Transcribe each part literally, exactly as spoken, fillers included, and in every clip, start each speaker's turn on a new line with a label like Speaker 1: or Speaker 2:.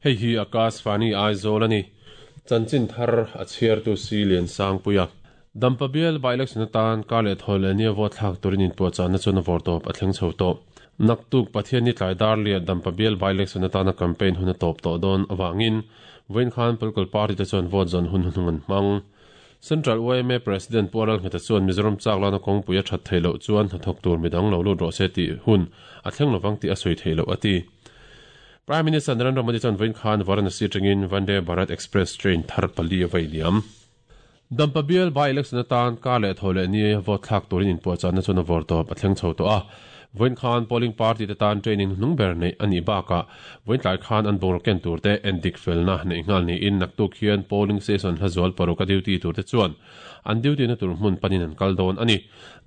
Speaker 1: Hei hi Akashvani Aizawl a ni. Chanchin thar a chhiartu si Lian Sangpuia. Dampa bial by-election atan kar leh thaw leh nia vote thlak turin inpuahchahna chuan a vawr tawp a thleng chho tawh. Naktuk Pathian ni tlai dar liah Dampa bial by-election atana campaign hun a tawp tawh dawn avangin vawiin khan political party te chuan vote zawn hun hunung an hmang. Central Y M A President Pu Lalngheta chuan Mizoram chak lana kawngpui a that theih loh chuan hnathawk tur midang lo lut rawh se tih hun a thleng lovang tih a sawi theih loh a ti. Prime Minister Narendra Modi chuan vawiin khan Varanasi atangin Vande Bharat Express train thar pali a vai liam. Dampa bial by-election atan kar leh thaw leh ni vote thlak turin inpuahchahna chuan a vawr tawp a thleng chho tawh a. Vawiin khan polling party te tan training hnung ber neih a nih bakah vawiin tlai khan an bungraw ken tur te endik felna neih nghal niin naktuk hian polling station hla zual paruk a duty tur te chuan an duty na tur hmun panin an kal dawn a ni.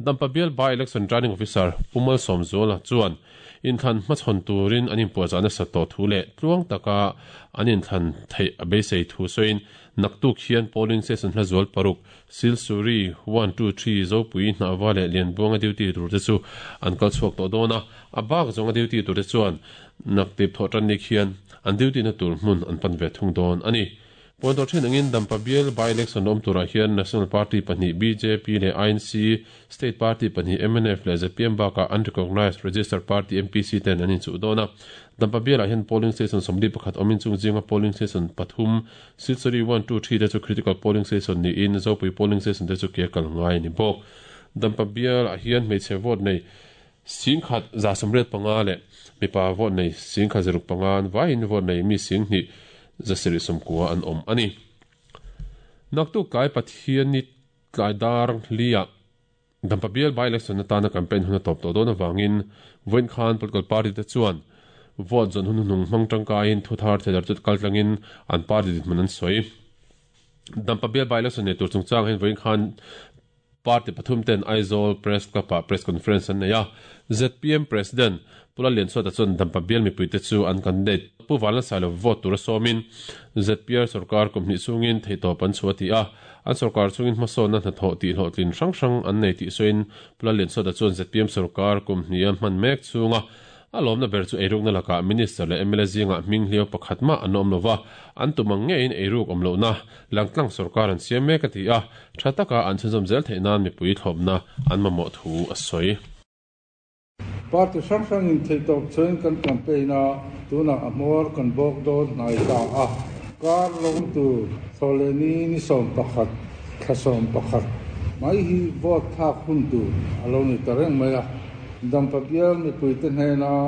Speaker 1: Dampa bial by-election returning officer Pu Malsawmzuala chuan inthlan hmachhawn turin an inpuahchahna sat tawh thu leh tluang taka an inthlan theih a beisei thu sawiin naktuk hian polling station hla zual paruk Silsuri one two three Zopui Hnahva leh Lianbuanga duty tur te chu an kal chhuak tawh dawn a, a bak zawnga duty tur te chuan naktip thawh tan ni khian an duty na tur hmun an pan ve thung dawn a ni. Puan tawh thin angin Dampa bial by-election awm turah hian National Party pahnih B J P leh I N C, State Party pahnih M N F leh Z P M bakah unrecognised registered party M P C ten an inchuh dawn a. Dampa bialah hian polling station sawmli pakhat awmin chung zinga polling station pathum Silsuri one two three te chu critical polling station niin Zopui polling station te chu ke kal ngai a ni bawk. Dampa bialah hian hmeichhe vote nei singkhat za sawmriat panga leh mipa vote nei singkhat zaruk panga an vaiin vote nei mi singhnih zasarih sawmkua an awm a ni. Naktuk tlai Pathian ni tlai dar liah Dampa bial by-election atana campaign hun a tawp tawh dawn avangin vawiin khan political party te chuan vote zawn hun hnung hmang tangkaiin thu thar thedar chu kaltlangin an party dinhmun an sawi. Dampa bial by-election nei tur chungchang hian vawiin khan party pathum ten Aizawl Press Club ah press conference an nei a. Z P M President Pu Lallianzuata chuan Dampa bial mipuite chu an candidate Pu Vanlalsailova vote tura sawmin Z P R sarkar kum hnih chungin theihtawp an chhuah a ti a. An sarkar chungin hmasawnna hnathawh tih hlawhtlin hrang hrang an nei tih sawiin Pu Lallianzuata chuan Z P M sarkar kum hnih a hman mek chunga a lawmna ber chu eirukna lakah minister leh M L A zingah hming hliau pakhat mah an awm lova, an tum ang ngeiin eiruk awm lohna langtlang sarkar an siam mek a ti a, tha taka an chhunzawm zel theih nan mipui thlawpna an mamawh thu a sawi.
Speaker 2: Party hrang hrangin theihtawp chuan kan campaign a, tunah a hmawr kan bawk dawn hnai ta a. Kar lawm tur thawhlehni ni sawm pakhat thla sawm pakhat mai hi vote thlak hun tur a lo ni ta reng mai a. Dampa bial mipuite hnena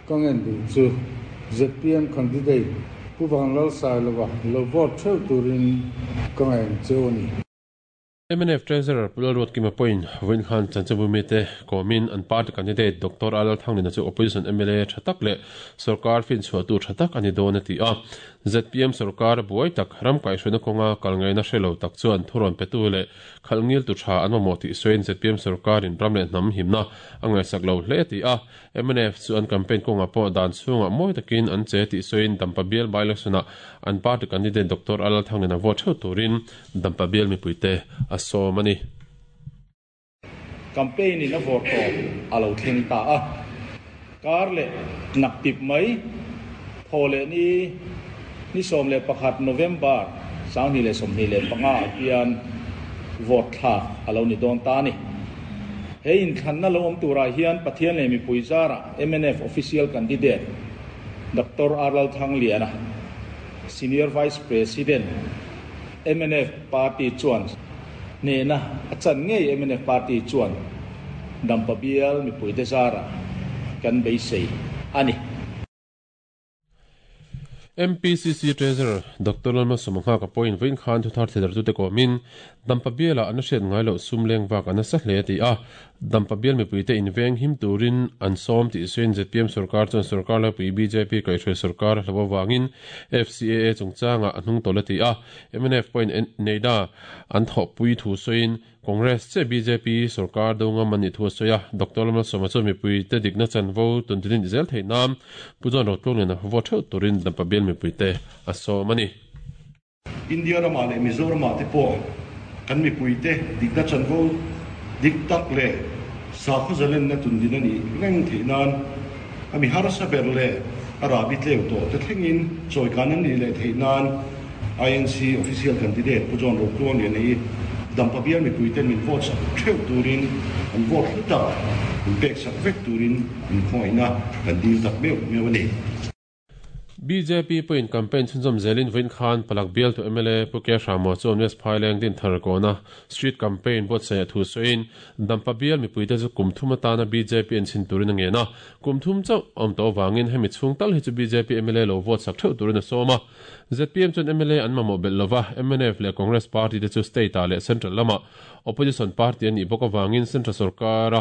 Speaker 2: ka ngen duh chu Z P M candidate Pu Vanlalsailova lo vote theuh turin ka ngen cheu a ni.
Speaker 1: M N F Treasurer Pu Lalruatkima pawhin vawiin khan chanchinbu mite kawmin an party candidate Doctor Lalthanglina chu opposition M L A tha tak leh sarkar finchhuah tu tha tak a ni dawn a ti a. Z P M sarkar buai tak ram kaihhruaina kawnga kal ngaihna hre lo tak chuan thurawn petu leh khalh ngil tu tha an mamawh tih sawiin Z P M sarkarin ram leh hnam himna a ngaihsak lo hle a ti a. M N F chu an campaign kawngah pawh dan chhungah mawi takin an che tih sawiin Dampa bial by-election ah an party candidate Doctor Lalthanglina vote theuh turin Dampa bial mipuite a sawm a ni.
Speaker 3: Campaign in a vawr tawp a lo thleng ta a. Kar leh naktip mai thawhleh ni ni sawm leh pakhat November sanghnih leh sawmhnih leh panga ah hian vote thlak a lo ni dawn ta a ni. He inthlanna lo awm turah hian Pathian leh mipui zarah M N F official candidate Doctor R Lalthangliana, Senior Vice President M N F Party chuan hnehna a chan ngei M N F Party chuan Dampa bial mipuite zarah kan beisei a ni.
Speaker 1: M P C C Treasurer Doctor Lalmalsawma pawhin vawiin khan thu thar thedar tute kawmin Dampa bialah an hriat ngai loh sum leng vak an nasa hle a ti a. Dampa bial mipuite inveng him turin an sawm tih sawiin Z P M sarkar chuan sarkar laipui B J P kaihhruai sarkar hlo awangin F C A A chungchangah a hnung tawlh a ti a. M N F pawhin neida an thawhpui thu sawiin Congress che B J P sarkar do ngam an nih thu a sawi a. Doctor Lalmalsawma chuan mipuite dikna chanvo tuntinin zel theih nan Pu John Rotluangliana vote theuh turin Dampa bial mipuite a sawm a ni.
Speaker 4: India ramah leh Mizoramah te pawh kan mipuite dikna chanvo dik tak leh sakhaw zalenna tundin a nih reng theih nan a mi harsa ber leh Arabi tleu to te thlengin chawikan an ni leh theih nan I N C official candidate Pu John Rotluang lian hi Dampa bial mipui ten min vote sak theuh turin an vote hlu tak min pek sak vek turin min khawngaihna kan dil tak meuh meuh a ni.
Speaker 1: B J P point campaign chhunzawm zelin vawiin khan Palak bial tu M L A Pu K Hramo chuan West Phaileng din thar kawna street campaign buatsaih a thu sawiin Dampa bial mipui te chu kum thum atana B J P an chhin turin a ngen a kum thum chauh awm tawh awangin hemi chhung tal hi chu B J P M L A lo vote sak theuh turin a sawm a Z P M chuan M L A an mamawh belh lova M N F leh Congress party te chu state ah leh central lama opposition party an nih bawk awangin central sarkara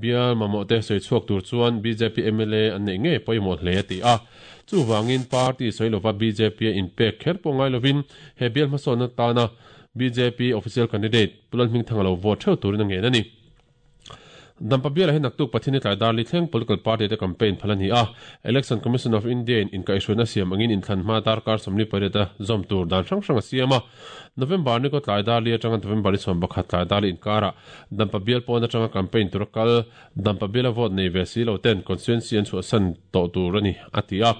Speaker 1: bial mamawh te sawi chhuak tur chuan B J P M L A an neih ngei pawimawh hle a ti a chuwangin party sawi B J P in pek kher pawh ngai lovin he bial hmasawnna tana B J P official candidate Pulal Hmingthanga lo vote theuh turin a ngen a ni. Dampa bial hi naktuk pathini tlai darli thleng political party te campaign phal ani a Election Commission of India in inkaihhruaina siam angin inthlan hma darkar sawmli pariat a zawm tur dan hrang hrang a siam a November ni ko tlai darli atanga November ni sawm pakhat tlai darli inkara Dampa bial pawn atanga campaign tur kal Dampa bial a vote nei ve si lo ten constituency an chhuah san tawh tur ani a ti a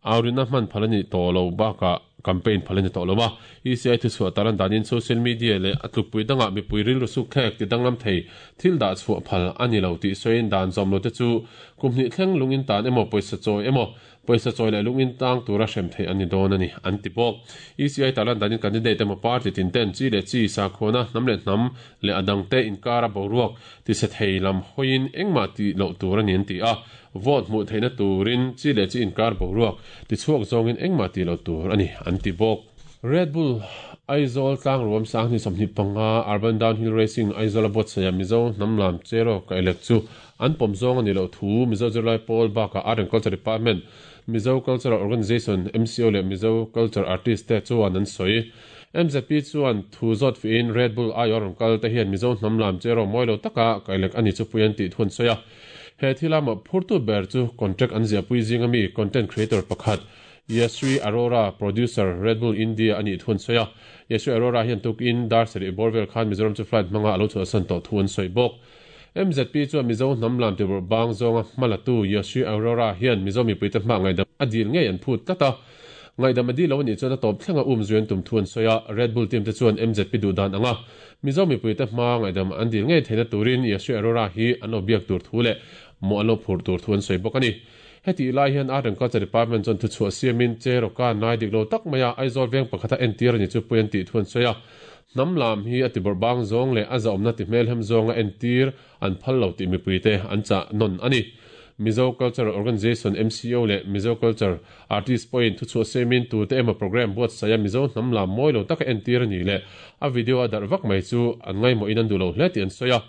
Speaker 1: aurina hman phal ani tawh lo baka campaign phal ani tawh lo a E C I thu chhuah taran danin social media leh a tlukpui danga mipui rilru suk thlek ti danglam thei thil dah chhuah phal ani lo tih sawiin dan zawm lo te chu kumhnih thleng lungin tan emaw pawisa chawi emaw pawisa chawi leh lungin tang tura hrem thei ani dawn ani an ti bawk. E C I taran danin candidate emaw party tin ten chi leh chi sakhona hnam leh hnam leh adang te inkara boruak ti se thei lam hoin engmah ti lo tur ani an ti a vote hmuh theihna turin chi leh chi inkar boruak ti chhuak zawngin engmah ti lo tur ani an ti bawk. Red Bull Aizawl tlang ruam sang ni sawmhnih panga Urban Downhill Racing Aizawl a buatsaih a Mizo hnamlam chero ka elek chu an pawm zawng ani lo thu Mizo Zirlai Pawl bakah Art and Culture Department Mizo Cultural Organization M C O leh Mizo Culture Artist te chuan an sawi M Z P chuan thu zawt fiin Red Bull aiawh rawn kal te hian Mizo hnamlam chero mawi lo taka ka elek ani chu pui an tih thu an sawi a he thila mawh phurtu ber chu contract an ziahpui zinga mi content creator pakhat Yasri Arora producer Red Bull India ani thun soya Yasri Arora hian tuk in dar seri Borvel Khan Mizoram chu flight manga alo chu san to thun soi bok M Z P chu Mizo hnamlam ti bor bang zonga malatu Yasri Arora hian Mizo mi puita hma ngai dam adil ngei an phut tata ngai dam adi lo ni chuan a top thlenga um zuan tum thun soya Red Bull team te chuan M Z P du dan anga Mizo mi puita hma ngai dam an dil ngei theina turin Yasri Arora hi an obiak tur thule mo alo phur tur thun soi bok ani. Heti lai hian Art and Culture Department chuan thu chhuah siamin cheroka nai dik lo tak maia Aizawl veng pakhata entir ani chu pui an tih thuan sawi a hnamlam hi a ti bawrh bang zawng leh a zahawmna ti hmel hem zawnga entir an phal lo tih mipui te an chah nawn ani. Mizo Cultural Organization M C O leh Mizo Culture Artist point thu chhuah siamin tu te emaw program buatsaih a Mizo hnamlam mawi lo taka entir ani leh a video a darh vak mai chu an ngaimawh in an duh lo hle tih an sawi a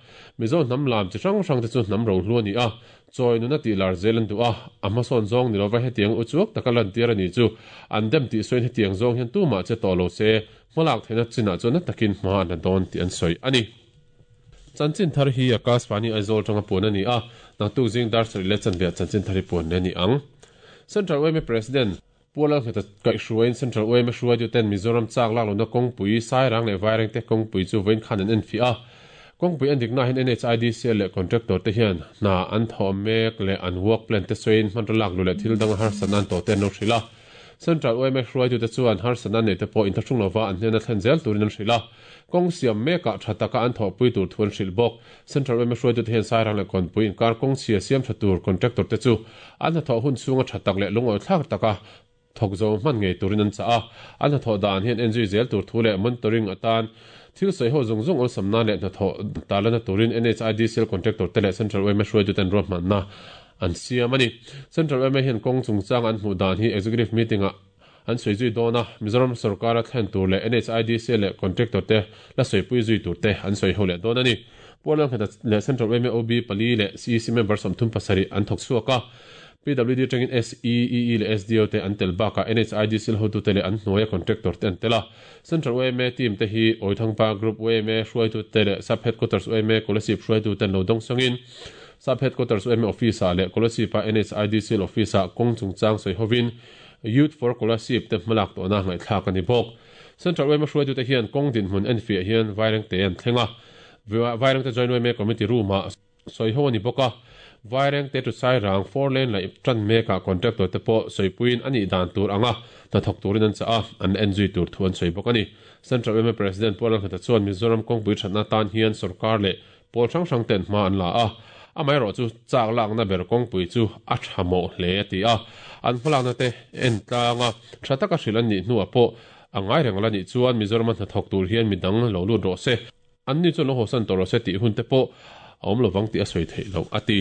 Speaker 1: Mizo hnamlam chi hrang hrang te chu hnam ro hlu ani a chawi nuna tih lar zel an duh a a hmasawn zawng ni lova hetiang u chuak taka lan tir ani chu an dem tih sawiin hetiang zawng hian tumah che tawh lo se hmalak theihna chinah chuan na takin hma an la dawn tih an sawi ani. Chanchin thar hi Akashvani Aizawl tanga puan ani a naktuk zing dar sarih leh chanve chanchin thar hi puan le ni ang. Central U M A President Pualal Hmeta kaihhruaiin Central U M A hruaitu ten Mizoram chak lak lohna kawngpui Sairang leh Vaireng te kawngpui chu vawiin khan an en fi a kawngpui an dikna hian N H I D C leh contractor te hian hna an thawh mek leh an work plan te sawiin hman lak lu leh thil dang harsatna an tawh te an lo hrilh a Central U M A hruaitu te chuan harsatna nei te pawh inthlahrung lova an hnena thlen zel turin an hrilh a kawng siam mekah tha taka an thawhpui tur thu an hrilh bawk. Central U M A hruaitu te hian Sairang leh kawnpui inkar kawng chhia siam tha tur contractor te chu an hnathawh hun chhunga tha tak leh lungawi thlak taka thawk zo hman ngei turin an chah a an hnathawh dan hian en zui zel tur thu leh monitoring atan thil sawi ho zawng zawng awlsamna leh hnathawh talana turin N H I D C L contractor te leh Central U M A hruaitu ten ruahmanna an siam ani. Central U M A hian kawng chungchang an hmuh dan hi executive meeting ah an sawi zui dawn a Mizoram sarkara thlen tur leh N H I D C leh contractor te la sawipui zui tur te an sawi ho leh dawn ani. Pualang hmeta leh Central U M A O B pali leh C E C member sawmthum pasarih an thawk chhuak a P W D tangin S E E E leh S D O te an tel bakah N H I D C hotu te leh an hnuaia contractor te an tel a Central U M A team te hi Awithangpa Group U M A hruaitu te leh Sub Headquarters U M A Kolasib hruaitu ten lo dawng sawngin Sub Headquarters U M A office ah leh Kolasib a N H I D C office ah kawng chungchang sawi hovin Youth for Kolasib te hmalak tawhna ngaihthlak ani bawk. Central U M A hruaitu te hian kawng dinhmun en fiah hian Vaireng te an thleng a Vaireng te joint U M A committee room ah soi ho ani boka Vaireng te tu sai rang four lane lai tran meka contractor te po soipuin ani dan tur anga ta thok turin an cha a an en zui tur thuan soi bok ani Central M President Paul Khata chuan Mizoram kong pui thatna tan hian sarkar le pol hrang hrang ten hma an la a amai ro chu chak lak na ber kong pui chu a thamo hle ti a an hmalak na te en tlanga thataka hrilan ni hnuah pawh angai reng la ni chuan Mizoram hna thok tur hian midang lo lut ro se an ni chu lo hosan tor se ti hun te pawh a awm lovang ti a sawi theih lo ati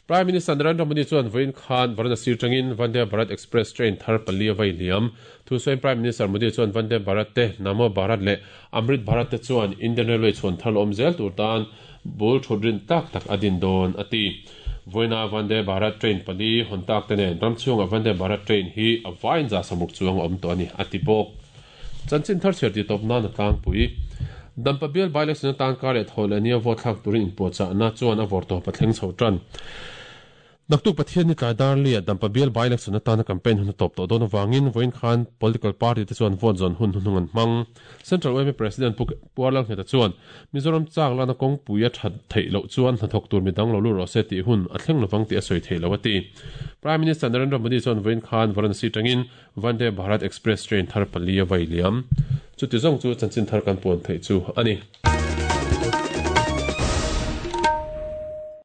Speaker 1: Prime Minister Narendra Modi chuan Vain Khan Varanasi tangin Vande Bharat Express train thar pali vai liam thu sawi Prime Minister Modi chuan Vande Bharat te Namo Bharat le Amrit Bharat te chuan Indian Railway chuan thar awm zel tur tan bul thodrin tak tak adin don ati Voina Vande Bharat train pali hontak te nen ramchunga Vande Bharat train hi a vain za samuk chuang awm to ani ati bawk chanchin thar cher ti top na na tlang pui Dampa bial by-election tan kar le thol ania vote thlak turin inpuahchah na chuan a vawr tawp a thleng chho tan Naktuk Pathian ni tlai dar lia Dampa bial by-election atana campaign hun top to don awangin voin khan political party te chuan vote zon hun hunung an hmang Central U M President Puarlal Ngheta chuan Mizoram chak lana kawng pui a that theih loh chuan hnathawk tur midang lo lu rawh se tih hun a thleng lovang tih a sawi theih lo ati Prime Minister Narendra Modi chuan voin khan Varanasi tangin Vande Bharat Express train thar pali a vai liam chuti zawng chu chanchin thar kan puan theih chu ani.